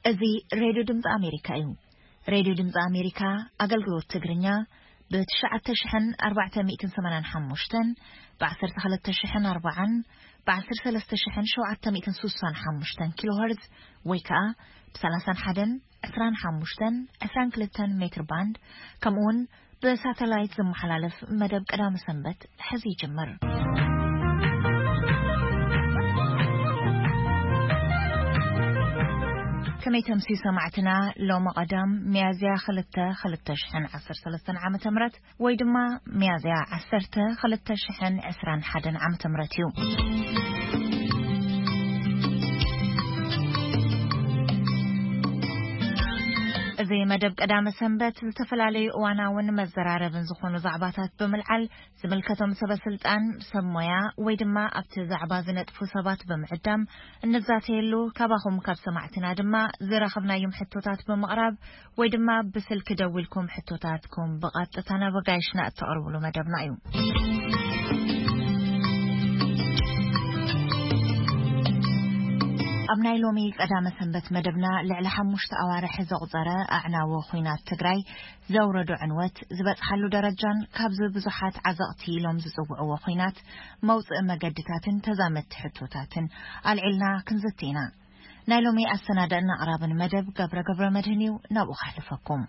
እዚ ሬድዮ ድምፂ ኣሜሪካ እዩ። ሬድዮ ድምፂ ኣሜሪካ ኣገልግሎት ትግርኛ ብ ትሽዓተ ሽሕን ኣርባዕተ ሚእትን ሰማንያን ሓሙሽተን፣ ብ ዓሰርተ ክልተ ሽሕን ኣርባዓን፣ ብ ዓሰርተ ሰለስተ ሽሕን ሸውዓተ ሚእትን ስሳን ሓሙሽተን ኪሎ ሄርዝ ወይ ከዓ ብ ሰላሳን ሓደን ዕስራን ሓሙሽተን ዕስራን ክልተን ሜትር ባንድ፣ ከምኡ እውን ብሳተላይት ዝመሓላለፍ መደብ ቀዳመ ሰንበት ሕዚ ይጅምር። ከመይ ተምስዩ ሰማዕትና፣ ሎሚ ቀዳም ሚያዝያ ክልተ ክልተ ሽሕን ዓሰርተ ሰለስተን ዓመተ ምህረት ወይ ድማ ሚያዝያ ዓሰርተ ክልተ ሽሕን ዕስራን ሓደን ዓመተ ምህረት እዩ። እዚ መደብ ቀዳመ ሰንበት ዝተፈላለዩ እዋናውን መዘራረብን ዝኾኑ ዛዕባታት ብምልዓል ዝምልከቶም ሰበ ስልጣን፣ ሰብ ሞያ ወይ ድማ ኣብቲ ዛዕባ ዝነጥፉ ሰባት ብምዕዳም እንዛተየሉ፣ ካባኹም ካብ ሰማዕትና ድማ ዝረኸብናዮም ሕቶታት ብምቕራብ ወይ ድማ ብስልኪ ደዊልኩም ሕቶታትኩም ብቐጥታ ናብ ኣጋይሽና እተቕርብሉ መደብና እዩ። ኣብ ናይ ሎሚ ቀዳመ ሰንበት መደብና ልዕሊ ሓሙሽተ ኣዋርሕ ዘቑጸረ ኣዕናዊ ኹናት ትግራይ ዘውረዶ ዕንወት ዝበጽሓሉ ደረጃን ካብዚ ብዙሓት ዓዘቕቲ ኢሎም ዝጽውዕዎ ኹናት መውጽኢ መገድታትን ተዛመድቲ ሕቶታትን ኣልዒልና ክንዝቲ ኢና። ናይ ሎሚ ኣሰናዳእን ኣቕራብን መደብ ገብረ ገብረ መድህን እዩ። ናብኡ ከሕልፈኩም።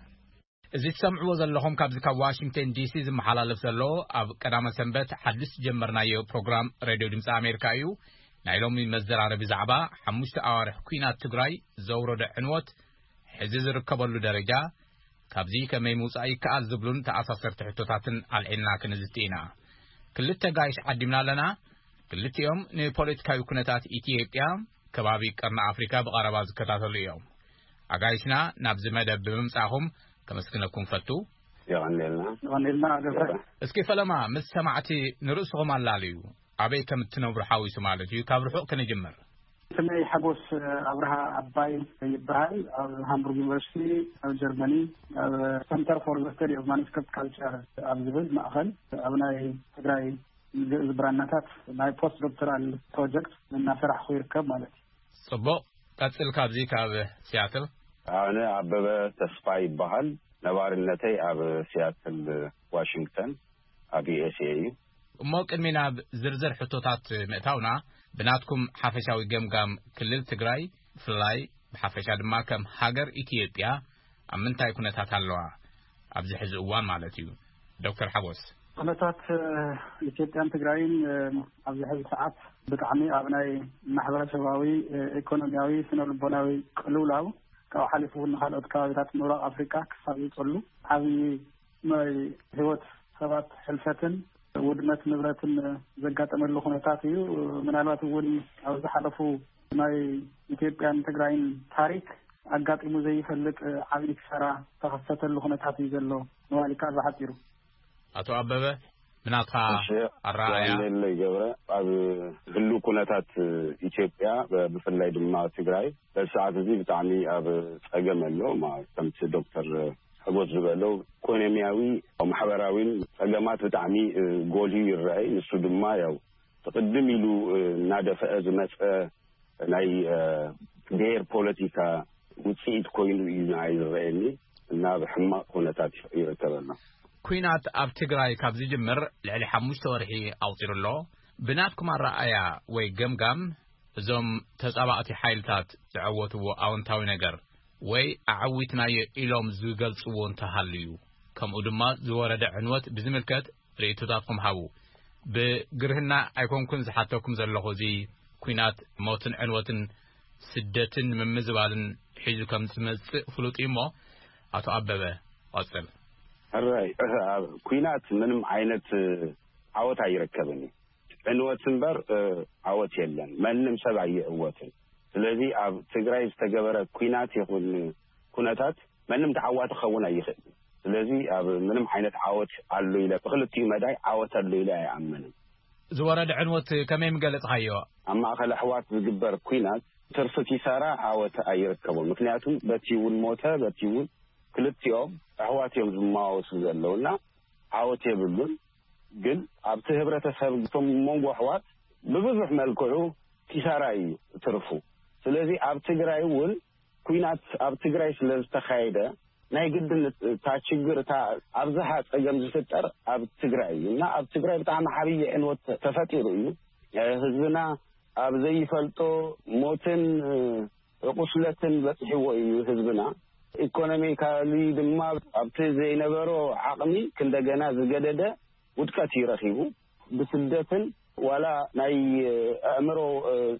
እዚ ትሰምዕዎ ዘለኹም ካብዚ ካብ ዋሽንግተን ዲሲ ዝመሓላለፍ ዘሎ ኣብ ቀዳመ ሰንበት ሓድሽ ዝጀመርናዮ ፕሮግራም ሬድዮ ድምፂ ኣሜሪካ እዩ። ናይ ሎሚ መዘራረቢ ዛዕባ ሓሙሽተ ኣዋርሕ ኲናት ትግራይ ዘውረዶ ዕንወት፣ ሕዚ ዝርከበሉ ደረጃ፣ ካብዚ ከመይ ምውፃእ ይከኣል ዝብሉን ተኣሳሰርቲ ሕቶታትን ኣልዒልና ክንዝቲ ኢና። ክልተ ጋይሽ ዓዲምና ኣለና። ክልቲኦም ንፖለቲካዊ ኩነታት ኢትዮጵያ፣ ከባቢ ቀርኒ ኣፍሪካ ብቐረባ ዝከታተሉ እዮም። ኣጋይሽና ናብዚ መደብ ብምምፃእኹም ከመስግነኩም ፈቱ። የቐንየልና። የቐንየልና ገብረ። እስኪ ፈለማ ምስ ሰማዕቲ ንርእስኹም ኣላለዩ። ኣበይ ከም እትነብሩ ሓዊሱ ማለት እዩ። ካብ ርሑቕ ክንጅምር። ስመይ ሓጎስ ኣብርሃ ኣባይ ይበሃል። ኣብ ሃምቡርግ ዩኒቨርሲቲ ኣብ ጀርመኒ ኣብ Center for the Study of Manuscript Culture ኣብ ዝብል ማእኸል ኣብ ናይ ትግራይ ግእዝ ብራናታት ናይ ፖስት ዶክተራል ፕሮጀክት እናሰራሕኹ ይርከብ ማለት እዩ። ጽቡቕ። ቀጽል ካብዚ ካብ ሲያትል። ኣነ ኣበበ ተስፋ ይበሃል። ነባርነተይ ኣብ ሲያትል ዋሽንግተን ኣብ ዩ ኤስ ኤ እዩ። እሞ ቅድሚ ናብ ዝርዝር ሕቶታት ምእታውና፣ ብናትኩም ሓፈሻዊ ገምጋም ክልል ትግራይ ብፍላይ ብሓፈሻ ድማ ከም ሃገር ኢትዮጵያ ኣብ ምንታይ ኩነታት ኣለዋ ኣብዚ ሕዚ እዋን ማለት እዩ? ዶክተር ሓጎስ። ኩነታት ኢትዮጵያን ትግራይን ኣብዚ ሕዚ ሰዓት ብጣዕሚ ኣብ ናይ ማሕበረሰባዊ፣ ኢኮኖሚያዊ፣ ስነ ልቦናዊ ቅልውላው ካብኡ ሓሊፉ እውን ንካልኦት ከባቢታት ምብራቕ ኣፍሪካ ክሳብ ዝፀሉ ዓብዪ ናይ ህይወት ሰባት ሕልፈትን ውድመት ንብረትን ዘጋጠመሉ ኩነታት እዩ። ምናልባት እውን ኣብ ዝሓለፉ ናይ ኢትዮጵያን ትግራይን ታሪክ ኣጋጢሙ ዘይፈልጥ ዓብዪ ክሳራ ዝተኸሰተሉ ኩነታት እዩ ዘሎ ምባል ይከኣል ብሓፂሩ። ኣቶ ኣበበ፣ ብናትኻ እሺ፣ ኣረኣእያ? የቐንየለይ ገብረ። ኣብ ህሉው ኩነታት ኢትዮጵያ፣ ብፍላይ ድማ ትግራይ፣ በዚ ሰዓት እዚ ብጣዕሚ ኣብ ጸገም ኣሎ። ማ-፣ ከምቲ ዶክተር ሕጎስ ዝበሎ፣ ኢኮኖሚያዊ፣ ማሕበራዊን ጸገማት ብጣዕሚ፣ እ፣ ጎልዩ ይረኣይ። ንሱ ድማ ያው ትቕድም ኢሉ፣ እ፣ እናደፈአ ዝመጸ ናይ፣ እ፣ ብሄር ፖለቲካ ውጽኢት ኮይኑ እዩ ንዓይ ዝረኣየኒ እና ኣብ ሕማቕ ኩነታት ይርከብ ኣሎ። ኲናት ኣብ ትግራይ ካብ ዝጅምር ልዕሊ ሓሙሽተ ወርሒ ኣቑጺሩ ኣሎ። ብናትኩም ኣረኣእያ ወይ ገምጋም፣ እዞም ተጻባእቲ ሓይልታት ዝዐወትዎ ኣወንታዊ ነገር ወይ ኣዐዊትናዮ ኢሎም ዝገልጽዎ እንተሃልዩ፣ ከምኡ ድማ ዝወረደ ዕንወት ብዝምልከት ርእይቶታትኩም ሃቡ። ብግርህና ኣይኮንኩን ዝሓተኩም ዘለኹ፣ እዚ ኲናት ሞትን ዕንወትን ስደትን ምምዝባልን ሒዙ ከም ዝመጽእ ፍሉጥ እዩ እሞ፣ ኣቶ ኣበበ፣ ቀጽል። ሕራይ፣ ኣብ ኲናት ምንም ዓይነት ዓወት ኣይርከብን እዩ። ዕንወት እምበር፣ እ፣ ዓወት የለን። ማንም ሰብ ኣይዕወትን። ስለዚ ኣብ ትግራይ ዝተገበረ ኲናት ይኹን ኩነታት ማንም ተዓዋቲ ክኸውን ኣይኽእልን። ስለዚ ኣብ ምንም ዓይነት ዓወት ኣሎ ኢለ፣ ብክልቲኡ መዳይ ዓወት ኣሎ ኢለ ኣይኣምንን። ዝወረደ ዕንወት ከመይ ምገለጽኻዮ? ኣብ ማእከል ኣሕዋት ዝግበር ኲናት ትርፊ ኪሳራ ዓወት ኣይርከቦን። ምክንያቱ በቲ እውን ሞተ፣ በቲ እውን ክልቲኦም ኣሕዋት እዮም ዝመዋወሱ ዘለውና ዓወት የብሉን። ግን ኣብቲ ህብረተሰብ እቶም መንጎ ኣሕዋት ብብዙሕ መልክዑ ኪሳራ እዩ ትርፉ። ስለዚ ኣብ ትግራይ እውን ኩናት ኣብ ትግራይ ስለ ዝተኻየደ፣ ናይ ግድን እታ ችግር፣ እታ ኣብዝሓ ጸገም ዝፍጠር ኣብ ትግራይ እዩ እና ኣብ ትግራይ ብጣዕሚ ዓብዪ ዕንወት ተፈጢሩ እዩ። ህዝብና ኣብ ዘይፈልጦ ሞትን ቁስለትን በጽሕዎ እዩ ህዝብና። ኢኮኖሚካሊ ድማ ኣብቲ ዘይነበሮ ዓቕሚ ክንደገና ዝገደደ ውድቀት እዩ ረኺቡ። ብስደትን ዋላ ናይ ኣእምሮ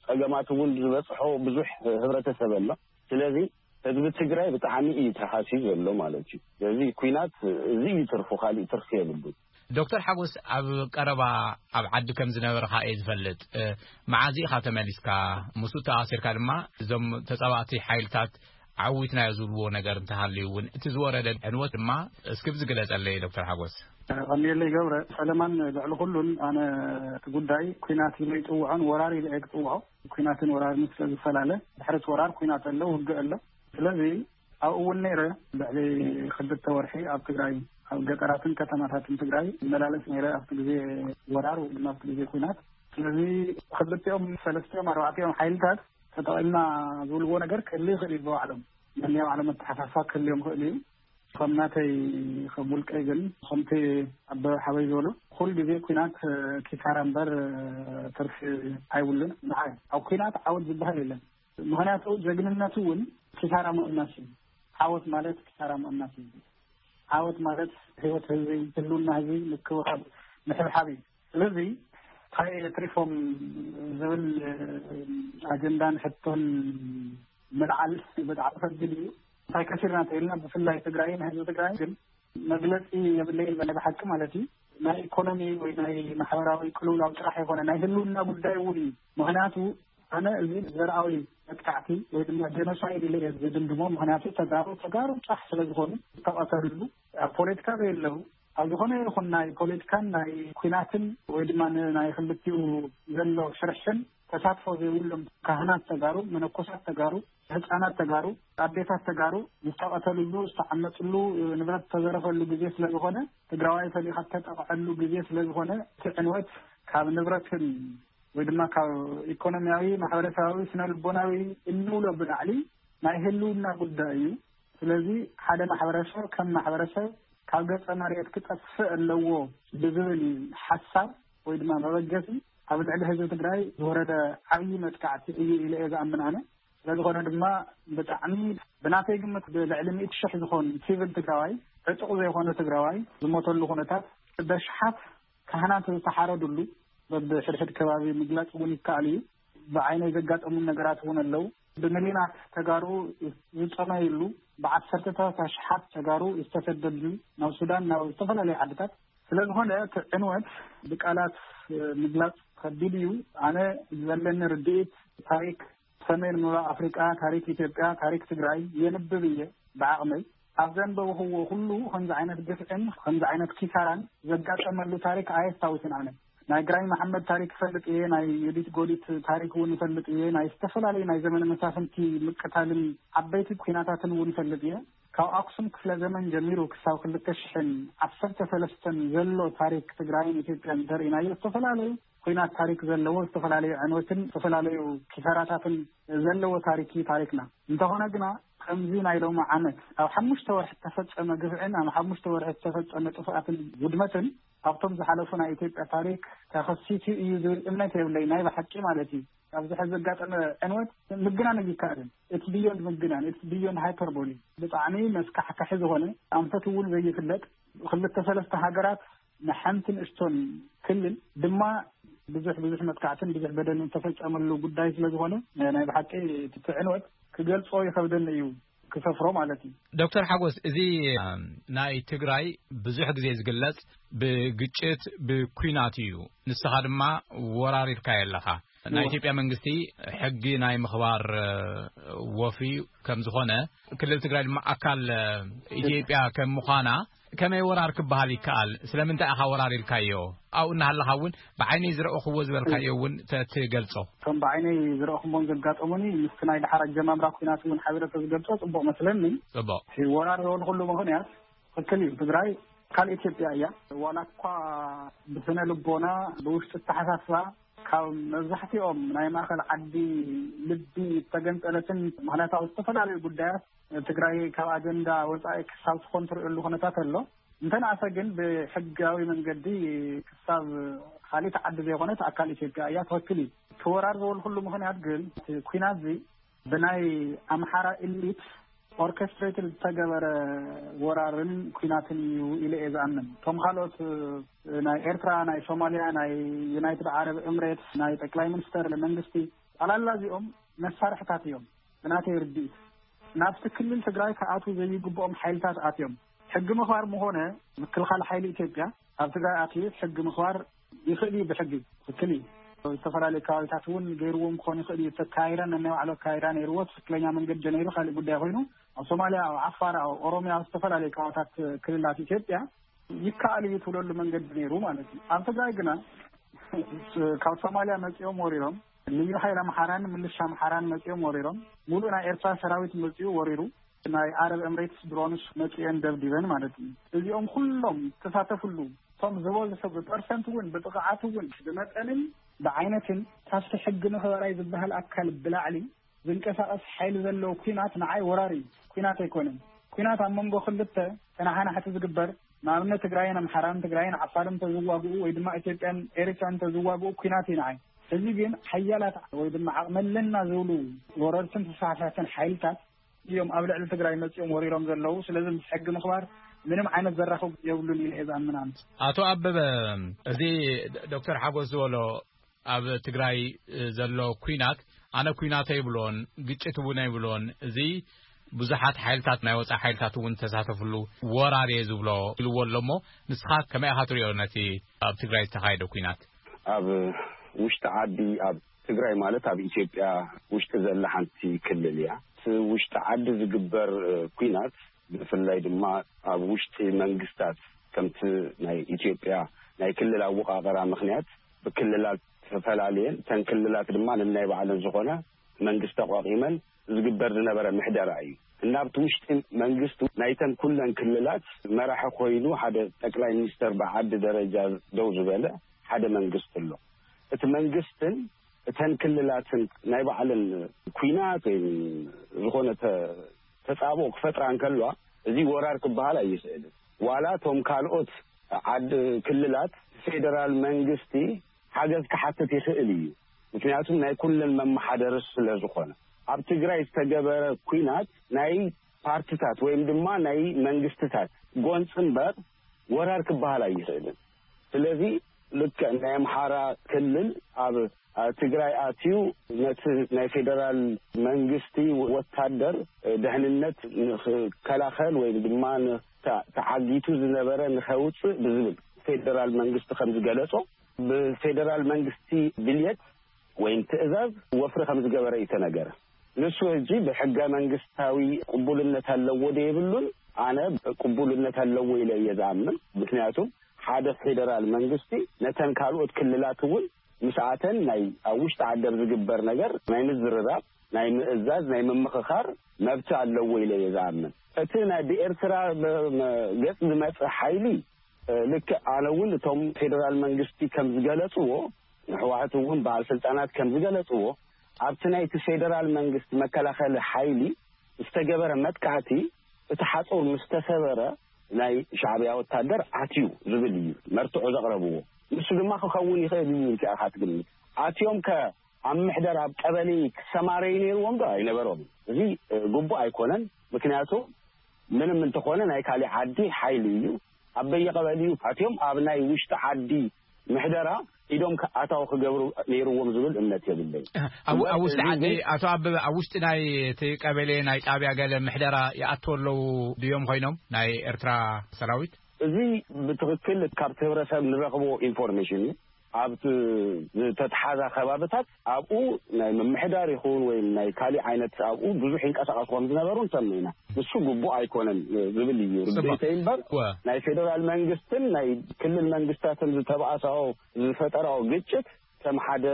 ጸገማት እውን ዝበጽሖ ብዙሕ ህብረተሰብ ኣሎ። ስለዚ ህዝቢ ትግራይ ብጣዕሚ እዩ ተሃስዩ ዘሎ ማለት እዩ። ስለዚ ኩናት እዚ እዩ ትርፉ፣ ካሊእ ትርፊ የብሉን። ዶክተር ሓጎስ፣ ኣብ ቀረባ ኣብ ዓዲ ከም ዝነበርካ እየ ዝፈልጥ። እ፣ መዓዝ ኢኻ ተመሊስካ? ምስኡ ተኣሲርካ ድማ እዞም ተጻባእቲ ሓይልታት ዓዊትናዮ ዝብልዎ ነገር እንተሃልዩ እውን፣ እቲ ዝወረደ ዕንወት ድማ እስኪ ብዝግለጸለይ ዶክተር ሓጎስ። ቀኒየለይ ገብረ። ሰለማን፣ ልዕሊ ኩሉን ኣነ እቲ ጉዳይ ኩናት ኢለ ይጽውዖን ወራር ኢለ እየ ክጽውዖ። ኩናትን ወራርን ስለ ዝፈላለ፣ ድሕሪ እቲ ወራር ኩናት ኣሎ፣ ውግእ ኣሎ። ስለዚ ኣብኡ እውን ነይረ። ልዕሊ ክልተ ወርሒ ኣብ ትግራይ፣ ኣብ ገጠራትን ከተማታትን ትግራይ ይመላለስ ነይረ፣ ኣብቲ ግዜ ወራር ወይ ድማ ኣብቲ ግዜ ኩናት። ስለዚ ክልቲኦም፣ ሰለስቲኦም፣ ኣርባዕቲኦም ሓይልታት ተጠቒምና ዝብልዎ ነገር ክህሉ ይኽእል እዩ ብባዕሎም። ነናይ ባዕሎም ኣተሓሳስባ ክህልዮም ይኽእል እዩ። ከም ናተይ፣ ከም ውልቀይ ግን፣ ከምቲ ኣበበ ሓወይ ዝበሎ፣ ኩሉ ግዜ ኩናት ኪሳራ እምበር ትርፊ ኣይብሉን። ንዓይ ኣብ ኩናት ዓወት ዝበሃል የለን። ምኽንያቱ ጀግንነቱ እውን ኪሳራ ምቕናስ እዩ። ዓወት ማለት ኪሳራ ምቕናስ እዩ። ዓወት ማለት ህይወት ህዝቢ፣ ህልውና ህዝቢ ምክብኻብ፣ ምሕብሓብ እዩ። ስለዚ እንታይ የትሪፎም ዝብል ኣጀንዳን ሕቶን ምልዓል ብጣዕሚ ከቢድ እዩ። እንታይ ከሲርና እንተኢልና፣ ብፍላይ ትግራይን ህዝቢ ትግራይ ግን መግለጺ የብለይን፣ ናይ ብሓቂ ማለት እዩ። ናይ ኢኮኖሚ ወይ ናይ ማሕበራዊ ቅልውላው ጥራሕ ይኮነ፣ ናይ ህልውና ጉዳይ እውን እዩ። ምኽንያቱ ኣነ እዚ ዘርኣዊ መጥቃዕቲ ወይ ድማ ጀኖሳይድ ኢለ እየ ዝድምድሞ። ምኽንያቱ ተጋሩ፣ ተጋሩ ጥራሕ ስለ ዝኾኑ ዝተቐተልሉ፣ ኣብ ፖለቲካ ዘየለዉ፣ ኣብ ዝኾነ ይኹን ናይ ፖለቲካን ናይ ኩናትን ወይ ድማ ን-፣ ናይ ክልቲኡ ዘሎ ሽርሕን ተሳትፎ ዘይብሎም ካህናት ተጋሩ፣ መነኮሳት ተጋሩ፣ ህፃናት ተጋሩ፣ ኣዴታት ተጋሩ ዝተቐተልሉ፣ ዝተዓመፅሉ፣ ንብረት ዝተዘረፈሉ ግዜ ስለ ዝኾነ፣ ትግራዋይ ፈሊኻ እተጠቕዐሉ ግዜ ስለ ዝኾነ፣ እቲ ዕንወት ካብ ንብረትን ወይ ድማ ካብ ኢኮኖሚያዊ፣ ማሕበረሰባዊ፣ ስነ ልቦናዊ እንብሎ ብላዕሊ ናይ ህልውና ጉዳይ እዩ። ስለዚ ሓደ ማሕበረሰብ ከም ማሕበረሰብ ካብ ገፀ መሬት ክጠፍእ ኣለዎ ብዝብል ሓሳብ ወይ ድማ መበገሲ ኣብ ልዕሊ ህዝቢ ትግራይ ዝወረደ ዓብዪ መጥቃዕቲ እዩ ኢለ እየ ዝኣምን ኣነ። ስለዝኾነ ድማ ብጣዕሚ ብናተይ ግምት ብልዕሊ ሚእቲ ሽሕ ዝኾን ሲቪል ትግራዋይ፣ ዕጡቕ ዘይኮነ ትግራዋይ ዝሞተሉ ኩነታት፣ በሽሓት ካህናት ዝተሓረዱሉ በብሕድሕድ ከባቢ ምግላፅ እውን ይከኣል እዩ። ብዓይነይ ዘጋጠሙን ነገራት እውን ኣለዉ። ብሚሊዮናት ተጋሩ ዝፀመዩሉ፣ ብዓሰርተታት ኣሽሓት ተጋሩ ዝተሰደድሉ ናብ ሱዳን፣ ናብ ዝተፈላለዩ ዓድታት። ስለዝኾነ እቲ ዕንወት ብቃላት ምግላፅ ከቢድ እዩ። ኣነ ዘለኒ ርድኢት ታሪክ ሰሜን ምብራቕ ኣፍሪቃ፣ ታሪክ ኢትዮጵያ፣ ታሪክ ትግራይ የንብብ እየ ብዓቕመይ። ኣብ ዘንበብኽዎ ኩሉ ከምዚ ዓይነት ግፍዕን ከምዚ ዓይነት ኪሳራን ዘጋጠመሉ ታሪክ ኣየስታውስን ኣነ። ናይ ግራኝ መሓመድ ታሪክ እፈልጥ እየ፣ ናይ ዮዲት ጎዲት ታሪክ እውን እፈልጥ እየ፣ ናይ ዝተፈላለዩ ናይ ዘመነ መሳፍንቲ ምቅታልን ዓበይቲ ኩናታትን እውን እፈልጥ እየ። ካብ ኣክሱም ክፍለ ዘመን ጀሚሩ ክሳብ ክልተ ሽሕን ዓሰርተ ሰለስተን ዘሎ ታሪክ ትግራይን ኢትዮጵያን እንተርኢናዮ ዝተፈላለዩ ኩናት ታሪክ ዘለዎ፣ ዝተፈላለዩ ዕንወትን ዝተፈላለዩ ኪሳራታትን ዘለዎ ታሪክ እዩ ታሪክና። እንተኾነ ግና ከምዚ ናይ ሎሚ ዓመት ኣብ ሓሙሽተ ወርሒ ዝተፈጸመ ግፍዕን ኣብ ሓሙሽተ ወርሒ ዝተፈጸመ ጥፍኣትን ውድመትን ኣብቶም ዝሓለፉ ናይ ኢትዮጵያ ታሪክ ተኸሲቱ እዩ ዝብል እምነት የብለይ፣ ናይ ብሓቂ ማለት እዩ። ኣብዚ ሕዚ ዘጋጠመ ዕንወት ምግናን ኣይከኣልን። It's beyond ምግናን፣ it's beyond hyperbole። ብጣዕሚ መስካሕካሒ ዝኾነ፣ ኣንፈት እውን ዘይፍለጥ፣ ክልተ ሰለስተ ሃገራት ንሓንቲ ንእሽቶን ክልል ድማ ብዙሕ ብዙሕ መጥቃዕትን ብዙሕ በደልን ዝተፈጸመሉ ጉዳይ ስለ ዝኾነ፣ ናይ ብሓቂ እቲ ዕንወት ክገልጾ ይኸብደኒ እዩ፣ ክሰፍሮ ማለት እዩ። ዶክተር ሓጎስ፣ እዚ ናይ ትግራይ ብዙሕ ግዜ ዝግለጽ ብግጭት፣ ብኲናት እዩ። ንስኻ ድማ ወራር ኢልካዮ ኣለኻ። ናይ እወ። ኢትዮጵያ መንግስቲ ሕጊ ናይ ምኽባር፣ እ፣ ወፍሪ ከም ዝኾነ፣ ክልል ትግራይ ድማ ኣካል፣ እ፣ ኢትዮጵያ ከም ምዃና፣ ከመይ ወራር ክበሃል ይከኣል? ስለምንታይ ኢኻ ወራር ኢልካዮ? ኣብኡ እናሃለኻ እውን ብዓይነይ ዝረእኽዎ ዝበልካዮ እውን ተ-፣ ትገልጾ። እቶም ብዓይነይ ዝረእኹሞን ዘጋጠሙኒ ምስቲ ናይ ደሓር ኣጀማምራ ኲናት እውን ሓቢረ ተዝገልጾ ጽቡቕ መስለኒ። ጽቡቕ። እቲ ወራር ዝበልኩሉ ምኽንያት ትኽክል እዩ። ትግራይ ኣካል ኢትዮጵያ እያ። ዋላ እኳ ብስነ ልቦና፣ ብውሽጢ ኣተሓሳስባ፣ ካብ መብዛሕትኦም ናይ ማእኸል ዓዲ ልቢ ዝተገንጠለትን ምኽንያታዊ ዝተፈላለዩ ጉዳያት ትግራይ ካብ ኣጀንዳ ወፃኢ ክሳብ ትኾን ትርእየሉ ኩነታት ኣሎ። እንተንኣሰ ግን ብሕጋዊ መንገዲ ክሳብ ካልእ ዓዲ ዘይኮነት ኣካል ኢትዮጵያ እያ ትኸክል እዩ። ክወራር ዝበልኩሉ ምኽንያት ግን እቲ ኩናት እዚ ብናይ ኣምሓራ ኢሊት ኦርኬስትሬትድ ዝተገበረ ወራርን ኩናትን እዩ ኢለ እየ ዝኣምን። እቶም ካልኦት ናይ ኤርትራ፣ ናይ ሶማልያ፣ ናይ ዩናይትድ ዓረብ ኤምሬትስ፣ ናይ ጠቅላይ ሚኒስተር መንግስቲ፣ ጠላላ እዚኦም መሳርሕታት እዮም። ብናተይ ርድኢት ናብቲ ክልል ትግራይ ክኣትዉ ዘይግብኦም ሓይልታት ኣትዮም። ሕጊ ምኽባር ምኾነ ምክልኻል ሓይሊ ኢትዮጵያ ኣብ ትግራይ ኣትዩ ሕጊ ምኽባር ይኽእል እዩ። ብሕጊ ትክክል እዩ። ዝተፈላለዩ ከባቢታት እውን ገይርዎም ክኾን ይኽእል እዩ። ተካይረን ነናይ ባዕሉ ኣካይዳ ነይርዎ፣ ትክክለኛ መንገዲ ነይሩ፣ ካልእ ጉዳይ ኮይኑ፣ ኣብ ሶማልያ፣ ኣብ ዓፋር፣ ኣብ ኦሮሚያ፣ ኣብ ዝተፈላለዩ ከባቢታት ክልላት ኢትዮጵያ ይከኣል እዩ ትብለሉ መንገዲ ነይሩ ማለት እዩ። ኣብ ትግራይ ግና ካብ ሶማልያ መፂኦም ወሪሮም፣ ልዩ ሓይል ኣምሓራን ምልሻ ኣምሓራን መፂኦም ወሪሮም፣ ሙሉእ ናይ ኤርትራ ሰራዊት መፂኡ ወሪሩ፣ ናይ ዓረብ ኤምሬትስ ድሮንስ መፂኤን ደብዲበን ማለት እዩ። እዚኦም ኩሎም ተሳተፍሉ፣ እቶም ዝበዝሑ ብፐርሰንት እውን ብጥቕዓት እውን ብመጠንን ብዓይነትን ካብቲ ሕጊ መኽበራይ ዝበሃል ኣካል ብላዕሊ ዝንቀሳቐስ ሓይሊ ዘለዎ ኩናት ንዓይ ወራር እዩ። ኩናት ኣይኮነን። ኩናት ኣብ መንጎ ክልተ ተናሓናሕቲ ዝግበር፣ ንኣብነት ትግራይን ኣምሓራን፣ ትግራይን ዓፋርን ተዝዋግኡ ወይ ድማ ኢትዮጵያን ኤሪትራን ተዝዋግኡ ኩናት እዩ ንዓይ። እዚ ግን ሓያላት ወይ ድማ ዓቕሚ ኣለና ዝብሉ ወረርትን ተስፋሕፋሕትን ሓይልታት እዮም ኣብ ልዕሊ ትግራይ መፂኦም ወሪሮም ዘለዉ። ስለዚ ምስ ሕጊ ምኽባር ምንም ዓይነት ዘራኽብ የብሉን ኢለ እየ ዝኣምን ኣነ። ኣቶ ኣበበ፣ እዚ ዶክተር ሓጎስ ዝበሎ ኣብ ትግራይ ዘሎ ኩናት ኣነ ኩናት ኣይብሎን፣ ግጭት እውን ኣይብሎን። እዚ ብዙሓት ሓይልታት ናይ ወፃኢ ሓይልታት እውን ተሳተፍሉ ወራር እየ ዝብሎ ኢልዎ ኣሎ እሞ ንስኻ ከመይ ኢኻ ትሪኦ ነቲ ኣብ ትግራይ ዝተኻየደ ኩናት? ኣብ ውሽጢ ዓዲ፣ ኣብ ትግራይ ማለት ኣብ ኢትዮጵያ ውሽጢ ዘላ ሓንቲ ክልል እያ። እቲ ውሽጢ ዓዲ ዝግበር ኩናት ብፍላይ ድማ ኣብ ውሽጢ መንግስታት ከምቲ ናይ ኢትዮጵያ ናይ ክልል ኣወቃቀራ ምኽንያት ብክልላት ተፈላለየን እተን ክልላት ድማ ነናይ ባዕለን ዝኾነ መንግስቲ ኣቋቂመን ዝግበር ዝነበረ ምሕደራ እዩ። እና ኣብቲ ውሽጢ መንግስቲ ናይተን ኩለን ክልላት መራሒ ኮይኑ ሓደ ጠቅላይ ሚኒስተር ብዓዲ ደረጃ ደው ዝበለ ሓደ መንግስቲ ኣሎ። እቲ መንግስትን እተን ክልላትን ናይ ባዕለን ኩናት ወይ ዝኾነ ተ- ተጻብኦ ክፈጥራ እንከልዋ እዚ ወራር ክበሃል ኣይስእልን። ዋላ እቶም ካልኦት ዓድ ክልላት ፌደራል መንግስቲ ሓገዝ ክሓትት ይኽእል እዩ። ምክንያቱም ናይ ኩለን መመሓደሪ ስለ ዝኾነ። ኣብ ትግራይ ዝተገበረ ኩናት ናይ ፓርትታት ወይም ድማ ናይ መንግስትታት ጎንፂ እምበር ወራር ክበሃል ኣይኽእልን። ስለዚ ልክዕ ናይ ኣምሓራ ክልል ኣብ ትግራይ ኣትዩ ነቲ ናይ ፌደራል መንግስቲ ወታደር ድሕንነት ንክከላኸል ወይም ድማ ተዓጊቱ ዝነበረ ንኸውፅእ ብዝብል ፌደራል መንግስቲ ከም ዝገለጾ ብፌደራል መንግስቲ ድልየት ወይም ትእዛዝ ወፍሪ ከም ዝገበረ እዩ ተነገረ። ንሱ ሕጂ ብሕገ መንግስታዊ ቅቡልነት ኣለዎ ዶ የብሉን? ኣነ ቅቡልነት ኣለዎ ኢለ እየ ዝኣምን። ምክንያቱ ሓደ ፌደራል መንግስቲ ነተን ካልኦት ክልላት እውን ምስኣተን ናይ ኣብ ውሽጢ ዓዲ ዝግበር ነገር ናይ ምዝርራብ፣ ናይ ምእዛዝ፣ ናይ ምምኽኻር መብቲ ኣለዎ ኢለ እየ ዝኣምን። እቲ ናይ ብኤርትራ ገፅ ዝመፀ ሓይሊ ልክዕ ኣነ እውን እቶም ፌደራል መንግስቲ ከም ዝገለፅዎ ንሕዋሕት እውን በዓል ስልጣናት ከም ዝገለፅዎ ኣብቲ ናይቲ ፌደራል መንግስቲ መከላኸሊ ሓይሊ ዝተገበረ መጥቃዕቲ እቲ ሓፁር ምስ ተሰበረ ናይ ሻዕብያ ወታደር ኣትዩ ዝብል እዩ መርትዖ ዘቕረብዎ። ንሱ ድማ ክኸውን ይኽእል እዩ ኢልካ ኢኻ ትግምት። ኣትዮም ከ ኣብ ምሕደር ኣብ ቀበሌ ክሰማረዩ ነይርዎም ዶ ኣይነበሮም? እዚ ግቡእ ኣይኮነን። ምክንያቱ ምንም እንተኾነ ናይ ካሊእ ዓዲ ሓይሊ እዩ። ኣብ በየቀበሊኡ ኣትዮም ኣብ ናይ ውሽጢ ዓዲ ምሕደራ ኢዶም ኣታዊ ክገብሩ ነይርዎም ዝብል እምነት የብለይ። ኣብ ውሽጢ ዓዲ ኣቶ ኣበበ ኣብ ውሽጢ ናይ እቲ ቀበሌ ናይ ጣብያ ገለ ምሕደራ ይኣትዎ ኣለዉ ድዮም ኮይኖም ናይ ኤርትራ ሰራዊት? እዚ ብትክክል ካብቲ ህብረተሰብ ንረክቦ ኢንፎርሜሽን እዩ። ኣብቲ ዝተትሓዛ ከባብታት ኣብኡ ናይ ምምሕዳር ይኹን ወይ ናይ ካሊእ ዓይነት ኣብኡ ብዙሕ ይንቀሳቀሱ ከም ዝነበሩ ንሰምዕ ኢና። ንሱ ግቡእ ኣይኮነን ዝብል እዩ ርድኢተይ እምበር ናይ ፌደራል መንግስትን ናይ ክልል መንግስታትን ዝተባእሳኦ ዝፈጠራኦ ግጭት ከም ሓደ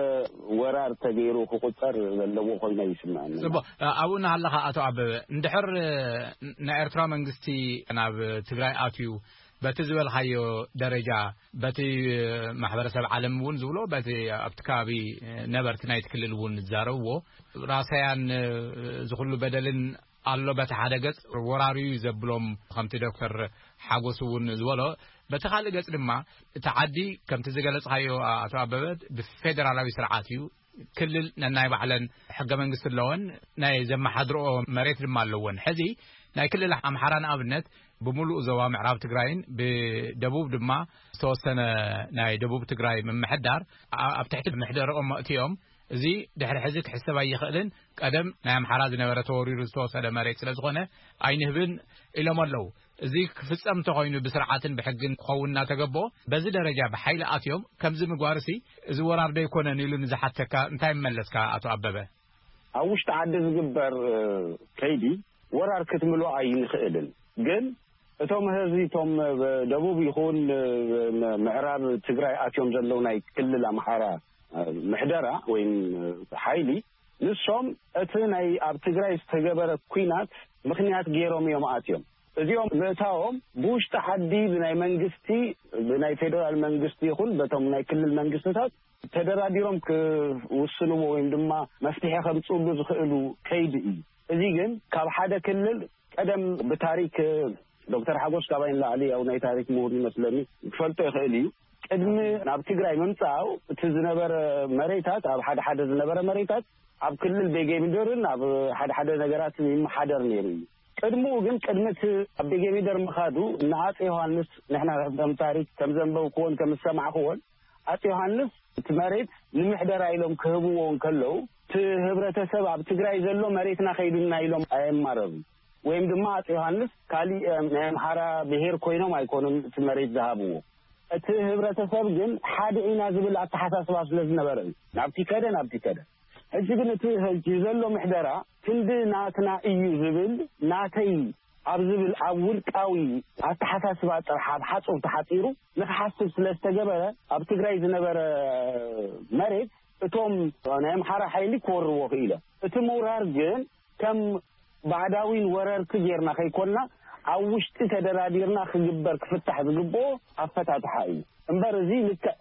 ወራር ተገይሩ ክቁፀር ዘለዎ ኮይኑ ይስምዐኒ። ፅቡቅ ኣብኡ እናሃለኻ ኣቶ ኣበበ እንድሕር ናይ ኤርትራ መንግስቲ ናብ ትግራይ ኣትዩ በቲ ዝበልካዮ ደረጃ፣ በቲ ማሕበረሰብ ዓለም እውን ዝብሎ፣ በቲ ኣብቲ ከባቢ ነበርቲ ናይቲ ክልል እውን ዝዛረብዎ፣ ራሳያን እዚ ኩሉ በደልን ኣሎ። በቲ ሓደ ገጽ ወራር እዩ ዘብሎም፣ ከምቲ ዶክተር ሓጎስ እውን ዝበሎ፣ በቲ ካልእ ገጽ ድማ እቲ ዓዲ ከምቲ ዝገለጽካዮ፣ ኣቶ ኣበበ፣ ብፌደራላዊ ስርዓት እዩ። ክልል ነናይ ባዕለን ሕገ መንግስቲ ኣለወን፣ ናይ ዘመሓድርኦ መሬት ድማ ኣለወን። ሕዚ ናይ ክልል ኣምሓራ ንኣብነት ብምሉእ ዞባ ምዕራብ ትግራይን ብደቡብ ድማ ዝተወሰነ ናይ ደቡብ ትግራይ ምምሕዳር ኣ-፣ ኣብ ትሕቲ ምሕደርኦም መእትዮም፣ እዚ ድሕሪ ሕዚ ክሕሰብ ኣይኽእልን። ቀደም ናይ ኣምሓራ ዝነበረ ተወሪሩ ዝተወሰደ መሬት ስለ ዝኾነ ኣይንህብን ኢሎም ኣለዉ። እዚ ክፍጸም እንተኾይኑ ብስርዓትን ብሕግን ክኸውን እናተገቦ በዚ ደረጃ ብሓይሊ ኣትዮም ከምዚ ምግባርሲ እዚ ወራር ዶ ኣይኮነን ኢሉ ንዝሓተካ እንታይ መለስካ ኣቶ ኣበበ? ኣብ ውሽጢ ዓዲ ዝግበር፣ እ፣ ከይዲ ወራር ክትምሎ ኣይንኽእልን። ግን እቶም ህዝቢ፣ እቶም፣ እ፣ ደቡብ ይኹን፣ እ፣ ም-፣ ምዕራብ ትግራይ ኣትዮም ዘለዉ ናይ ክልል ኣምሓራ፣ እ፣ ምሕደራ ወይም፣ እ፣ ሓይሊ፣ ንሶም እቲ ናይ ኣብ ትግራይ ዝተገበረ ኲናት ምኽንያት ገይሮም እዮም ኣትዮም። እዚኦም ምእታዎም ብውሽጢ ዓዲ ብናይ መንግስቲ፣ ብናይ ፌደራል መንግስቲ ይኹን በቶም ናይ ክልል መንግስትታት ተደራዲሮም ክውስንዎ ወይም ድማ መፍትሒ ከምፅእሉ ዝኽእሉ ከይዲ እዩ። እዚ ግን ካብ ሓደ ክልል ቀደም ብታሪክ ዶክተር ሓጎስ ካባይ ንላዕሊ ያው ናይ ታሪክ ምሁር ይመስለኒ ክፈልጦ ይኽእል እዩ። ቅድሚ ናብ ትግራይ ምምፃኡ እቲ ዝነበረ መሬታት፣ ኣብ ሓደ ሓደ ዝነበረ መሬታት ኣብ ክልል ቤጌ ምድርን ኣብ ሓደ ሓደ ነገራት ይመሓደር ነይሩ እዩ። ቅድምኡ ግን ቅድሚ እቲ ኣብ ቤጌ ምድር ምኻዱ ንኣፄ ዮሃንስ ንሕና ከም ታሪክ ከም ዘንበብክዎን ከም ዝሰማዕክዎን ኣፄ ዮሃንስ እቲ መሬት ንምሕደራ ኢሎም ክህብዎ እንከለዉ እቲ ህብረተሰብ ኣብ ትግራይ ዘሎ መሬትና ከይዱና ኢሎም ኣየማረሩን። ወይም ድማ ኣፄ ዮሃንስ ካሊእ፣ እ፣ ናይ ኣምሓራ ብሄር ኮይኖም ኣይኮኑን እቲ መሬት ዝሃብዎ። እቲ ህብረተሰብ ግን ሓደ ኢና ዝብል ኣተሓሳስባ ስለ ዝነበረ እዩ። ናብቲ ከደ፣ ናብቲ ከደ። ሕጂ ግን እቲ ሕጂ ዘሎ ምሕደራ ክንዲ ናትና እዩ ዝብል፣ ናተይ ኣብ ዝብል ኣብ ውልቃዊ ኣተሓሳስባ ጥራሕ ኣብ ሓጹር ተሓጺሩ ንክሓስብ ስለ ዝተገበረ ኣብ ትግራይ ዝነበረ መሬት እቶም ናይ ኣምሓራ ሓይሊ ክወርዎ ክኢለ። እቲ ምውራር ግን ከም ባዕዳዊን ወረርቲ ጌርና ከይኮንና ኣብ ውሽጢ ተደራዲርና ክግበር ክፍታሕ ዝግብኦ ኣፈታትሓ እዩ። እምበር እዚ ልክዕ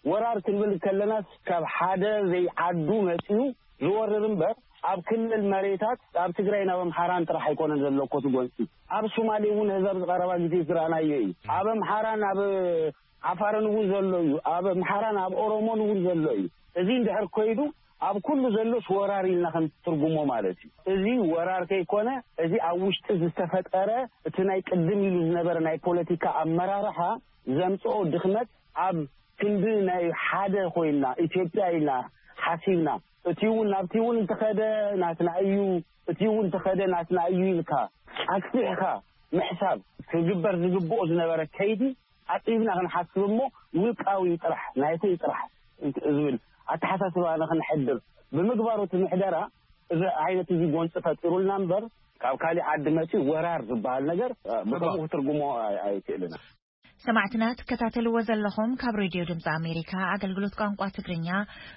ወራር ክንብል ከለናስ ካብ ሓደ ዘይዓዱ መጺኡ ዝወርር እምበር ኣብ ክልል መሬታት ኣብ ትግራይ ናብ ኣምሓራን ጥራሕ ኣይኮነን ዘሎ እኮ እቲ ጎንፂ። ኣብ ሶማሌ እውን ህዛብ ዝቐረባ ግዜ ዝረኣናዮ እዩ። ኣብ ኣምሓራን ኣብ ዓፋርን እውን ዘሎ እዩ። ኣብ ኣምሓራን ኣብ ኦሮሞን እውን ዘሎ እዩ። እዚ እንድሕር ኮይዱ ኣብ ኩሉ ዘሎስ ወራር ኢልና ክንትርጉሞ ማለት እዩ። እዚ ወራር ከይኮነ እዚ ኣብ ውሽጢ ዝተፈጠረ እቲ ናይ ቅድም ኢሉ ዝነበረ ናይ ፖለቲካ ኣመራርሓ ዘምፅኦ ድኽመት ኣብ ክንዲ ናይ ሓደ ኮይና ኢትዮጵያ ኢልና ሓሲብና እቲ እውን ናብቲ እውን እንተኸደ ናትና እዩ፣ እቲ እውን እንተኸደ ናትና እዩ ኢልካ ኣስፊሕካ ምሕሳብ ክግበር ዝግብኦ ዝነበረ ከይዲ ኣጢብና ክንሓስብ እሞ ውልቃዊ ጥራሕ ናይተይ ጥራሕ ዝብል ኣተሓሳስባ ንክንሕድር ብምግባሩ እቲ ምሕደራ እዚ ዓይነት እዚ ጎንፂ ፈጢሩልና እምበር ካብ ካሊእ ዓዲ መፂኡ ወራር ዝበሃል ነገር ብከምኡ ክትርጉሞ ኣይ- ኣይክእልን። ሰማዕትና ትከታተልዎ ዘለኹም ካብ ሬድዮ ድምፂ ኣሜሪካ ኣገልግሎት ቋንቋ ትግርኛ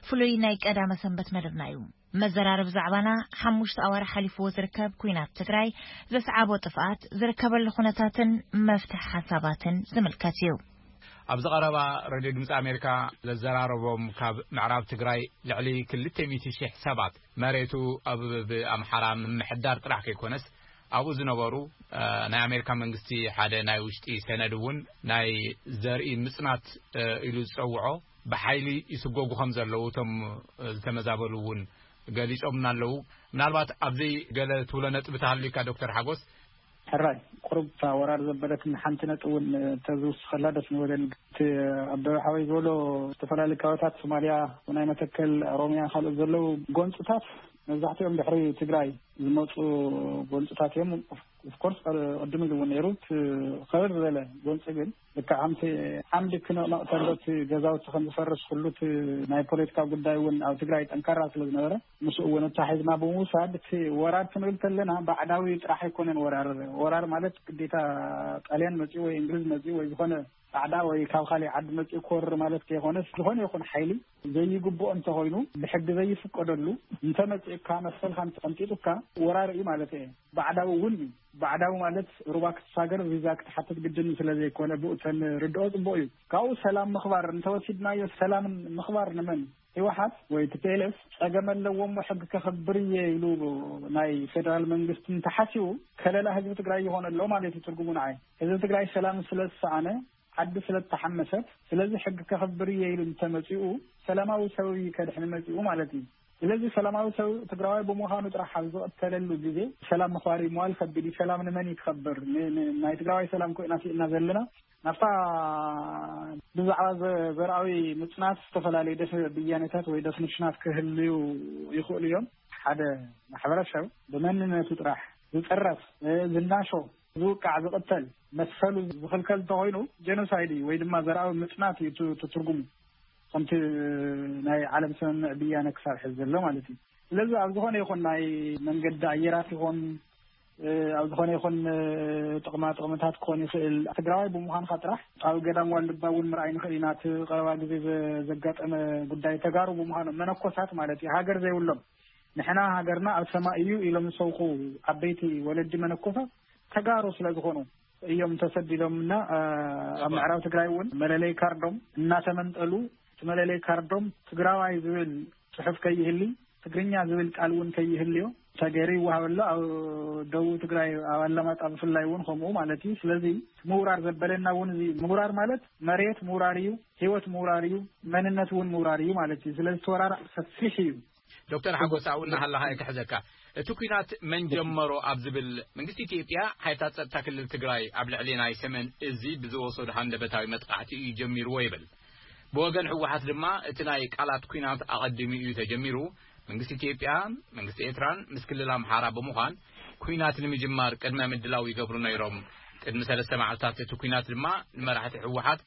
ፍሉይ ናይ ቀዳመ ሰንበት መደብና እዩ። መዘራረብ ዛዕባና ሓሙሽተ ኣዋርሕ ሓሊፍዎ ዝርከብ ኲናት ትግራይ ዘስዓቦ ጥፍኣት ዝርከበሉ ኩነታትን መፍትሒ ሓሳባትን ዝምልከት እዩ። ኣብዚ ቀረባ ሬድዮ ድምፂ ኣሜሪካ ዘዘራረቦም ካብ ምዕራብ ትግራይ ልዕሊ ክልተ ሚእቲ ሺሕ ሰባት መሬቱ ኣብ ብኣምሓራ ምምሕዳር ጥራሕ ከይኮነስ ኣብኡ ዝነበሩ፣ እ፣ ናይ ኣሜሪካ መንግስቲ ሓደ ናይ ውሽጢ ሰነድ እውን ናይ ዘርኢ ምጽናት፣ እ፣ ኢሉ ዝጸውዖ ብሓይሊ ይስጎጉ ከም ዘለዉ እቶም፣ እ፣ ዝተመዛበሉ እውን ገሊጾምና ኣለዉ። ምናልባት ኣብዚ ገለ ትብሎ ነጥቢ ተሃልዩካ ዶክተር ሓጎስ? ሕራይ፣ ቁሩብ እታ ወራር ዘበለትኒ ሓንቲ ነጥቢ እውን እንተዝውስኸላ ደስ ምበለኒ። እቲ ኣበበ ሓወይ ዝበሎ ዝተፈላለዩ ከባቢታት ሶማልያ ናይ መተከል፣ ኦሮሚያ፣ ካልኦት ዘለዉ ጎንፅታት መብዛሕትኦም ድሕሪ ትግራይ ዝመፁ ጎንፅታት እዮም። ኦፍኮርስ ቅድም ኢሉ እውን ነይሩ። እቲ ከበድ ዝበለ ጎንፂ ግን ልክዕ ከምቲ ዓምዲ ክነቕነቕ ተሎ እቲ ገዛውቲ ከም ዝፈርስ ኩሉ እቲ ናይ ፖለቲካ ጉዳይ እውን ኣብ ትግራይ ጠንካራ ስለ ዝነበረ ምስኡ እውን ኣተሓሒዝና ብምውሳድ እቲ ወራር ክንብል ከለና ባዕዳዊ ጥራሕ ኣይኮነን። ወራር ወራር ማለት ግዴታ ጣልያን መፂኡ ወይ እንግሊዝ መፂኡ ወይ ዝኾነ ጻዕዳ ወይ ካብ ካልእ ዓዲ መጺኡ ክወርር ማለት ከይኮነስ፣ ዝኾነ ይኹን ሓይሊ ዘይግብኦ እንተኾይኑ፣ ብሕጊ ዘይፍቀደሉ እንተመጺኡካ፣ መሰልካ እንተቐንጢጡካ፣ ወራር እዩ ማለት እየ። ባዕዳዊ እውን እዩ። ባዕዳዊ ማለት ሩባ ክትሳገር ቪዛ ክትሓትት ግድን ስለ ዘይኮነ ብኡ ተንርድኦ ጽቡቕ እዩ። ካብኡ ሰላም ምኽባር እንተወሲድናዮ፣ ሰላምን ምኽባር ንመን? ህወሓት ወይ ቲፒኤልኤፍ ጸገም ኣለዎም፣ ሕጊ ከኽብር እየ ኢሉ ናይ ፌደራል መንግስቲ እንተሓሲቡ፣ ከለላ ህዝቢ ትግራይ ይኾን ኣሎ ማለት እዩ ትርጉሙ ንዓይ። ህዝቢ ትግራይ ሰላም ስለ ዝሰኣነ፣ ዓዲ ስለ እተሓመሰት፣ ስለዚ ሕጊ ከኽብር እየ ኢሉ እንተመጺኡ፣ ሰላማዊ ሰብ እዩ ከድሕን መጺኡ ማለት እዩ። ስለዚ ሰላማዊ ሰብ ትግራዋይ ብምዃኑ ጥራሕ ኣብ ዝቐተለሉ ግዜ፣ ሰላም ምኽባር እዩ መዋል ከቢድ እዩ። ሰላም ንመን እዩ ክኸብር? ን-፣ ን-፣ ናይ ትግራዋይ ሰላም ኮይና ስኢና ዘለና። ናብታ ብዛዕባ ዘ-፣ ዘርኣዊ ምጽናት ዝተፈላለዩ ደፍ-፣ ብያኔታት ወይ ደፍኒሽናት ክህልዩ ይኽእሉ እዮም። ሓደ ማሕበረሰብ ብመንነቱ ጥራሕ ዝጥረፍ፣ እ፣ ዝናሾ፣ ዝውቃዕ፣ ዝቕተል፣ መሰሉ ዝኽልከል እንተኾይኑ፣ ጀኖሳይድ እዩ ወይ ድማ ዘርኣዊ ምጽናት እዩ ት-፣ ት-፣ ትርጉሙ። ከምቲ ናይ ዓለም ስምምዕ ብያነ ክሳብ ሕዚ ዘሎ ማለት እዩ። ስለዚ ኣብ ዝኾነ ይኹን ናይ መንገዲ ኣየራት ይኹን፣ እ፣ ኣብ ዝኾነ ይኹን፣ እ፣ ጥቕማ ጥቕምታት ክኾን ይኽእል። ትግራዋይ ብምዃንካ ጥራሕ ኣብ ገዳም ዋልድባ እውን ምርኣይ ንኽእል ኢና። እቲ ቀረባ ግዜ ዘ-፣ ዘጋጠመ ጉዳይ ተጋሩ ብምዃኑ መነኮሳት ማለት እዩ፣ ሃገር ዘይብሎም፣ ንሕና ሃገርና ኣብ ሰማይ እዩ ኢሎም ዝሰብኹ ዓበይቲ ወለዲ መነኮሳት ተጋሩ ስለ ዝኾኑ እዮም ተሰዲዶምና። እ፣ ኣብ ምዕራብ ትግራይ እውን መለለይ ካርዶም እናተመንጠሉ፣ እቲ መለለይ ካርዶም ትግራዋይ ዝብል ጽሑፍ ከይህሊ፣ ትግርኛ ዝብል ቃል እውን ከይህልዮ ተገይሩ ይወሃብ ኣሎ። ኣብ ደቡብ ትግራይ ኣብ ኣላማጣ ብፍላይ እውን ከምኡ ማለት እዩ። ስለዚ ምውራር ዘበለና እውን እዚ ምውራር ማለት መሬት ምውራር እዩ፣ ህይወት ምውራር እዩ፣ መንነት እውን ምውራር እዩ ማለት እዩ። ስለዚ እቲ ወራር ሰፊሕ እዩ። ዶክተር ሓጎስ ኣብኡ እናሃለኻ እየ ክሕዘካ። እቲ ኲናት መን ጀመሮ ኣብ ዝብል፣ መንግስቲ ኢትዮጵያ ሓይልታት ጸጥታ ክልል ትግራይ ኣብ ልዕሊ ናይ ሰሜን እዚ ብዝወሰዶ ሃንደበታዊ መጥቃዕቲ እዩ ጀሚርዎ ይብል። ብወገን ህወሓት ድማ እቲ ናይ ቃላት ኲናት ኣቐዲሙ እዩ ተጀሚሩ። መንግስቲ ኢትዮጵያ መንግስቲ ኤርትራን ምስ ክልል ኣምሓራ ብምዃን ኲናት ንምጅማር ቅድመ ምድላው ይገብሩ ነይሮም። ቅድሚ ሰለስተ መዓልታት እቲ ኲናት ድማ ንመራሕቲ ህወሓት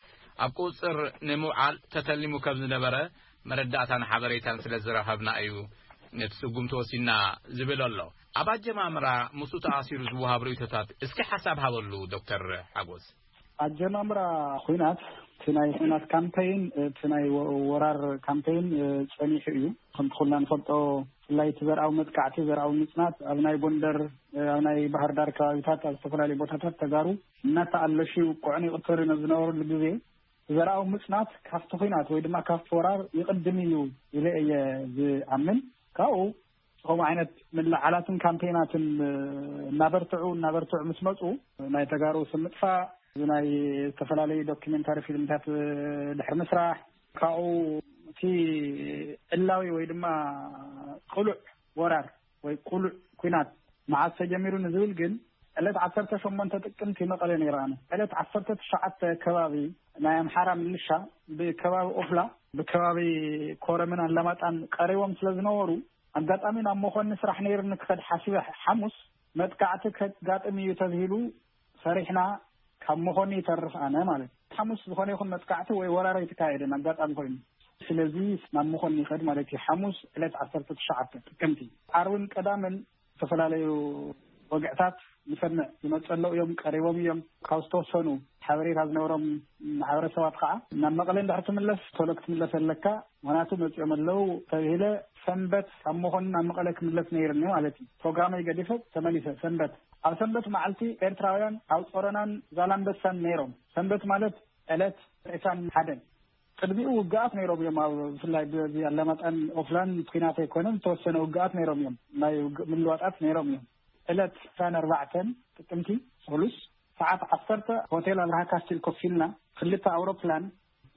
ኣብ ቁፅር ንምውዓል ተተሊሙ ከም ዝነበረ መረዳእታን ሓበሬታን ስለ ዝረኸብና እዩ ነቲ ስጉምቲ ወሲና ዝብል ኣሎ። ኣብ ኣጀማምራ ምስኡ ተኣሲሩ ዝወሃብ ርእይቶታት እስኪ ሓሳብ ሃበሉ ዶክተር ሓጎስ። ኣጀማምራ ኲናት እቲ ናይ ኲናት ካምፔይን፣ እቲ ናይ ወ-፣ ወራር ካምፔይን፣ እ፣ ጸኒሑ እዩ። ከምቲ ኩልና ንፈልጦ፣ ብፍላይ እቲ ዘርኣዊ መጥቃዕቲ፣ ዘርኣዊ ምጽናት ኣብ ናይ ጎንደር፣ እ፣ ኣብ ናይ ባህር ዳር ከባቢታት፣ ኣብ ዝተፈላለዩ ቦታታት ተጋሩ እናተኣለሹ ይውቅዑን ይቕተሉን ኣብ ዝነበሩሉ ግዜ፣ ዘርኣዊ ምጽናት ካብቲ ኲናት ወይ ድማ ካብቲ ወራር ይቕድም እዩ ኢለ እየ ዝኣምን። ካብኡ ከምኡ ዓይነት ምልዓላትን ካምፔይናትን፣ እ፣ እናበርትዑ፣ እናበርትዑ ምስ መጹ፣ ናይ ተጋሩ ስም ምጥፋእ፣ እዚ ናይ ዝተፈላለዩ ዶኪመንታሪ ፊልምታት፣ እ፣ ድሕሪ ምስራሕ፣ ካብኡ እቲ ዕላዊ ወይ ድማ ቅሉዕ ወራር ወይ ቅሉዕ ኲናት መዓስ ተጀሚሩ ንዝብል ግን፣ ዕለት ዓሰርተ ሸሞንተ ጥቅምቲ መቐለ ነይረ ኣነ። ዕለት ዓሰርተ ትሽዓተ ከባቢ ናይ ኣምሓራ ምልሻ ብከባቢ ኦፍላ፣ ብከባቢ ኮረምን ኣላማጣን ቀሪቦም ስለ ዝነበሩ፣ ኣጋጣሚ ናብ መኾኒ ስራሕ ነይርኒ ክኸድ ሓሲበ፣ ሓሙስ መጥቃዕቲ ከጋጥም እዩ ተብሂሉ፣ ሰሪሕና ካብ መኾኒ ይተርፍ ኣነ ማለት እዩ። ሓሙስ ዝኾነ ይኹን መጥቃዕቲ ወይ ወራር ኣይተካየደን፣ ኣጋጣሚ ኮይኑ። ስለዚ ናብ መኾኒ ይኸድ ማለት እዩ። ሓሙስ ዕለት ዓሰርተ ትሽዓተ ጥቅምቲ። ዓርብን ቀዳምን ዝተፈላለዩ ወግዕታት ንሰምዕ። ይመፁ ኣለዉ እዮም፣ ቀሪቦም እዮም። ካብ ዝተወሰኑ ሓበሬታ ዝነበሮም ማሕበረሰባት ከዓ ናብ መቐለ እንድሕር ትምለስ፣ ቶሎ ክትምለስ ኣለካ፣ ምኽንያቱ መፂኦም ኣለዉ ተብሂለ። ሰንበት ካብ መኾኒ ናብ መቐለ ክምለስ ነይርኒ ማለት እዩ። ፕሮግራመይ ገዲፈ ተመሊሰ። ሰንበት፣ ኣብ ሰንበት መዓልቲ ኤርትራውያን ኣብ ጾሮናን ዛላምበሳን ነይሮም። ሰንበት ማለት ዕለት ዕስራን ሓደን። ቅድሚኡ ውግኣት ነይሮም እዮም። ኣብ ብፍላይ ብ-፣ ብ-፣ ኣላማጣን ኦፍላን ኲናት ኣይኮነን፣ ዝተወሰነ ውግኣት ነይሮም እዮም። ናይ ውግእ ምልዋጣት ነይሮም እዮም። ዕለት ዕስራን ኣርባዕተን ጥቅምቲ፣ ሰሉስ፣ ሰዓት ዓሰርተ ሆቴል ኣብርሃ ካስቲል ኮፍ ኢልና፣ ክልተ ኣውሮፕላን፣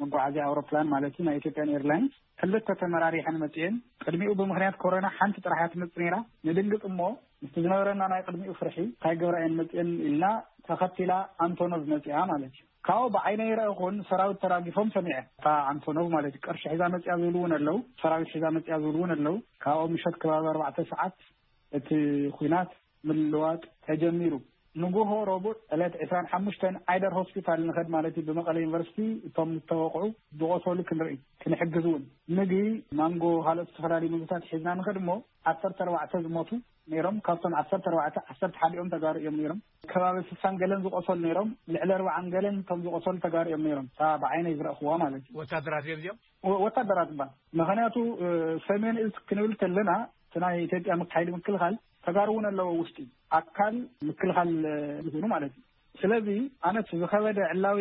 መጓዓዝያ ኣውሮፕላን ማለት እዩ፣ ናይ ኢትዮጵያን ኤርላይንስ፣ ክልተ ተመራሪሐን መጽኤን። ቅድሚኡ ብምኽንያት ኮሮና ሓንቲ ጥራሕ እያ ትመጽእ ነይራ። ንድንግጽ እሞ፣ ምስቲ ዝነበረና ናይ ቅድሚኡ ፍርሒ፣ እንታይ ገብራ እየን መጽኤን ኢልና፣ ተኸቲላ ኣንቶኖቭ መጽኣ ማለት እዩ። ካብኡ ብዓይነይ ረእኹን ሰራዊት ተራጊፎም ሰሚዐ። እታ ኣንቶኖቭ ማለት እዩ፣ ቅርሺ ሒዛ መጽኣ ዝብሉ እውን ኣለዉ፣ ሰራዊት ሒዛ መጽኣ ዝብሉ እውን ኣለዉ። ካብኡ ምሸት ከባቢ ኣርባዕተ ሰዓት እቲ ኲናት ምልዋጥ ተጀሚሩ። ንጉሆ ረቡዕ ዕለት ዕስራን ሓሙሽተን ዓይደር ሆስፒታል ንኸድ ማለት እዩ፣ ብመቐለ ዩኒቨርሲቲ እቶም ዝተወቕዑ ዝቖሰሉ ክንርኢ፣ ክንሕግዝ እውን። ምግቢ፣ ማንጎ፣ ካልኦት ዝተፈላለዩ ምግብታት ሒዝና ንኸድ እሞ፣ ዓሰርተ ኣርባዕተ ዝሞቱ ነይሮም። ካብቶም ዓሰርተ ኣርባዕተ፣ ዓሰርተ ሓደ እዮም ተጋሩ እዮም ነይሮም። ከባቢ ስሳን ገለን ዝቖሰሉ ነይሮም። ልዕሊ ኣርባዓን ገለን እቶም ዝቖሰሉ ተጋሩ እዮም ነይሮም። እታ ብዓይነይ ዝረእኽዋ ማለት እዩ። ወታደራት እዮም እዚኦም? ወ-፣ ወታደራት እባ። ምኽንያቱ፣ እ፣ ሰሜን እዝ ክንብል ከለና፣ እቲ ናይ ኢትዮጵያ ምክ-፣ ሓይሊ ምክልኻል ተጋሩ እውን ኣለዎ ውሽጢ ኣካል ምክልኻል ዝኮኑ ማለት እዩ። ስለዚ ኣነት ዝኸበደ ዕላዊ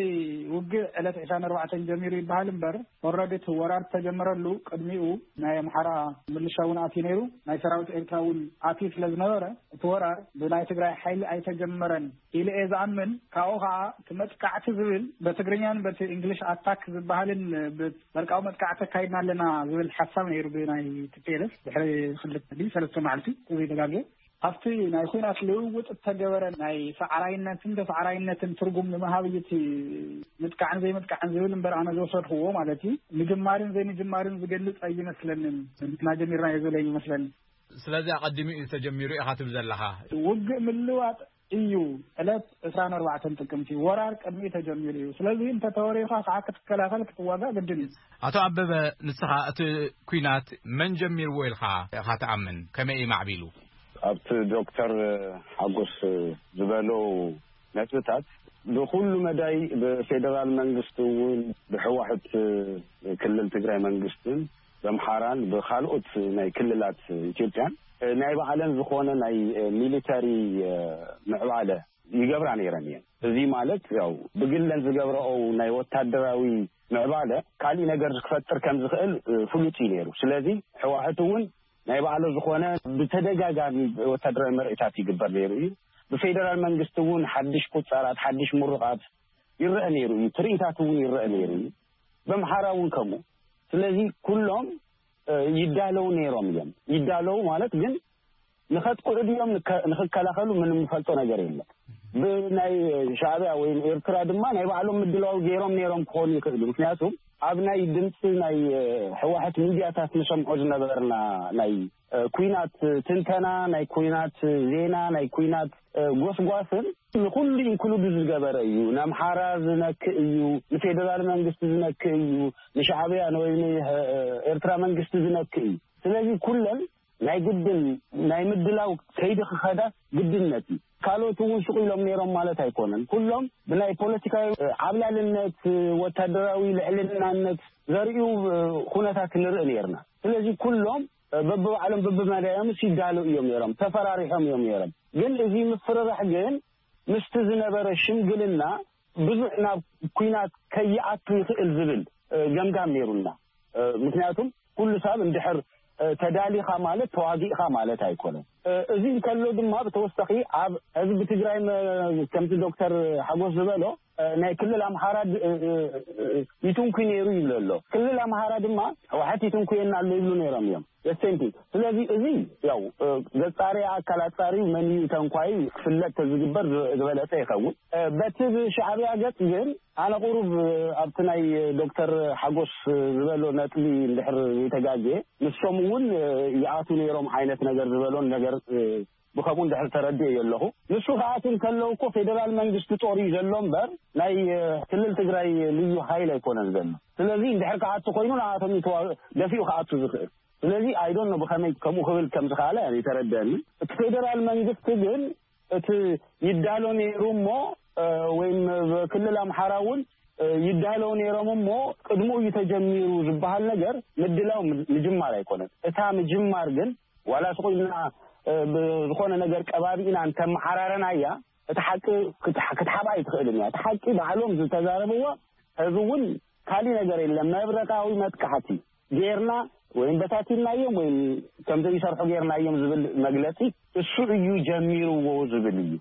ውግእ ዕለት ዕስራን ኣርባዕተን ጀሚሩ ይበሃል እምበር፣ ኦረዲ እቲ ወራር ተጀመረሉ ቅድሚኡ ናይ ኣምሓራ ምልሻ እውን ኣትዩ ነይሩ፣ ናይ ሰራዊት ኤርትራ እውን ኣትዩ ስለ ዝነበረ፣ እቲ ወራር ብናይ ትግራይ ሓይሊ ኣይተጀመረን ኢለ እየ ዝኣምን። ካብኡ ከዓ እቲ መጥቃዕቲ ዝብል በትግርኛን በቲ እንግሊሽ ኣታክ ዝበሃልን፣ ብመርቃዊ መጥቃዕቲ ኣካይድና ኣለና ዝብል ሓሳብ ነይሩ ብናይ ቲ ፒ ኤል ኤፍ ድሕሪ ክልተ ድዩ ሰለስተ መዓልቲ እዚ ተጋግየ። ኣብቲ ናይ ኩናት ልውውጥ እተገበረ ናይ ሰዓራይነትን ተሰዓራይነትን ትርጉም ንምሃብ እዩ እቲ ምጥቃዕን ዘይምጥቃዕን ዝብል እምበር፣ ኣነ ዝወሰድክዎ ማለት እዩ፣ ምጅማርን ዘይምጅማርን ዝገልጽ ኣይመስለንን። ንሕና ጀሚርናዮ ዝብል ኣይመስለንን። ስለዚ ኣቐዲሙ እዩ ተጀሚሩ ኢኻ ትብል ዘለኻ። ውግእ ምልዋጥ እዩ። ዕለት ዕስራን ኣርባዕተን ጥቅምቲ ወራር ቅድሚኡ ተጀሚሩ እዩ። ስለዚ እንተ ተወሪኻ ከዓ ክትከላኸል ክትዋጋእ ግድን እዩ። ኣቶ ኣበበ፣ ንስኻ እቲ ኩናት መን ጀሚርዎ ኢልካ ኢኻ ትኣምን? ከመይ እዩ ማዕቢሉ? ኣብቲ ዶክተር ሓጎስ ዝበሎ ነጥብታት ብኩሉ መዳይ ብፌደራል መንግስቲ እውን ብህወሓት ክልል ትግራይ መንግስትን በምሓራን ብካልኦት ናይ ክልላት ኢትዮጵያን ናይ ባዕለን ዝኾነ ናይ ሚሊተሪ ምዕባለ ይገብራ ነይረን እየን። እዚ ማለት ያው ብግለን ዝገብረኦ ናይ ወታደራዊ ምዕባለ ካሊእ ነገር ክፈጥር ከም ዝኽእል ፍሉጥ እዩ ነይሩ። ስለዚ ህወሓት እውን ናይ ባዕሉ ዝኾነ ብተደጋጋሚ ወታደራዊ ምርኢታት ይግበር ነይሩ እዩ። ብፌደራል መንግስቲ እውን ሓድሽ ቁፃራት፣ ሓድሽ ምሩቓት ይረአ ነይሩ እዩ። ትርኢታት እውን ይረአ ነይሩ እዩ። በምሓራ እውን ከምኡ። ስለዚ ኩሎም ይዳለው ነይሮም እዮም። ይዳለው ማለት ግን ንኸጥቅዑ ድዮም ንከ-፣ ንኽከላኸሉ ምንም ንፈልጦ ነገር የለን። ብናይ ሻዕቢያ ወይም ኤርትራ ድማ ናይ ባዕሎም ምድላው ገይሮም ነይሮም ክኾኑ ይኽእሉ። ምክንያቱም ኣብ ናይ ድምፂ ናይ ህወሓት ሚድያታት ንሰምዖ ዝነበርና ናይ ኩናት ትንተና፣ ናይ ኩናት ዜና፣ ናይ ኩናት ጎስጓስን ንኩሉ ኢንክሉድ ዝገበረ እዩ። ንኣምሓራ ዝነክእ እዩ፣ ንፌደራል መንግስቲ ዝነክእ እዩ፣ ንሻዕቢያ ወይ ንኤርትራ መንግስቲ ዝነክእ እዩ። ስለዚ ኩለን ናይ ግድን ናይ ምድላው ከይዲ ክኸዳ ግድነት እዩ። ካልኦት እውን ሱቕ ኢሎም ነይሮም ማለት ኣይኮነን። ኩሎም ብናይ ፖለቲካዊ ዓብላልነት፣ ወታደራዊ ልዕልናነት ዘርእዩ ኩነታት ንርኢ ነይርና። ስለዚ ኩሎም በብባዕሎም በብመዳዮም ይዳለው እዮም ነይሮም፣ ተፈራሪሖም እዮም ነይሮም። ግን እዚ ምፍርራሕ ግን ምስቲ ዝነበረ ሽምግልና ብዙሕ ናብ ኩናት ከይኣቱ ይኽእል ዝብል ገምጋም ነይሩና። ምክንያቱም ኩሉ ሰብ እንድሕር ተዳሊኻ ማለት ተዋጊእኻ ማለት ኣይኮነን። እዚ እንከሎ ድማ ብተወሳኺ ኣብ ህዝቢ ትግራይ መ-፣ ከምቲ ዶክተር ሓጎስ ዝበሎ ናይ ክልል ኣምሓራ ድ-፣ ይትንኩ ነይሩ ይብሎ ኣሎ። ክልል ኣምሓራ ድማ ህወሓት ይትንኩየና ኣሎ ይብሉ ነይሮም እዮም። The same thing። ስለዚ እዚ ያው ዘጻሪ ኣካል ኣጻሪ መን እዩ ተንኳይ ክፍለጥ ተዝግበር ዝበለጸ ይኸውን። በቲ ብሻዕቢያ ገጽ ግን ኣነ ቁሩብ ኣብቲ ናይ ዶክተር ሓጎስ ዝበሎ ነጥቢ እንድሕር ዘይተጋግየ፣ ንሶም እውን ይኣቱ ነይሮም ዓይነት ነገር ዝበሎን ነገር ብኸምኡ እንድሕር ተረዲኤ ኣለኹ። ንሱ ክኣቱ እንከሎ እኮ ፌደራል መንግስቲ ጦር እዩ ዘሎ እምበር ናይ ክልል ትግራይ ልዩ ሓይል ኣይኮነን ዘሎ። ስለዚ እንድሕር ክኣቱ ኮይኑ ንኣቶም እዩ ተዋ-፣ ደፊኡ ክኣቱ ዝኽእል። ስለዚ I don't know ብኸመይ ከምኡ ክብል ከም ዝኸኣለ ኣይተረደአኒ። እቲ ፌደራል መንግስቲ ግን እቲ ይዳሎ ነይሩ እሞ፣ ወይም ክልል ኣምሓራ እውን ይዳለው ነይሮም እሞ ቅድሙ እዩ ተጀሚሩ ዝበሃል ነገር ምድላው ም-፣ ምጅማር ኣይኮነን። እታ ምጅማር ግን ዋላ ስቕ ኢልና ብዝኾነ ነገር ቀባቢእና እንተመሓራረናያ እቲ ሓቂ ክትሓ-፣ ክትሓብኣ ኣይትኽእልን እያ። እቲ ሓቂ ባዕሎም ዝተዛረብዎ ህዝቢ እውን ካሊእ ነገር የለን። መብረቃዊ መጥቃዕቲ ጌርና ወይም በታቲናዮም ወይም ከም ዘይሰርሑ ጌርናዮም ዝብል መግለጺ እሱ እዩ ጀሚርዎ ዝብል እዩ።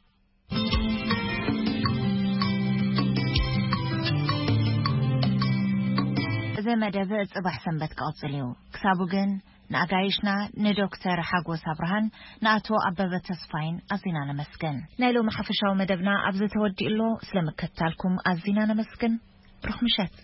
እዚ መደብ ጽባሕ ሰንበት ክቕጽል እዩ። ክሳቡ ግን ንኣጋይሽና ንዶክተር ሓጎስ ኣብርሃን ንኣቶ ኣበበ ተስፋይን ኣዚና ነመስግን። ናይ ሎሚ ሓፈሻዊ መደብና ኣብዚ ተወዲኡ ኣሎ። ስለምክትታልኩም ኣዚና ነመስግን። ብሩኽ ምሸት።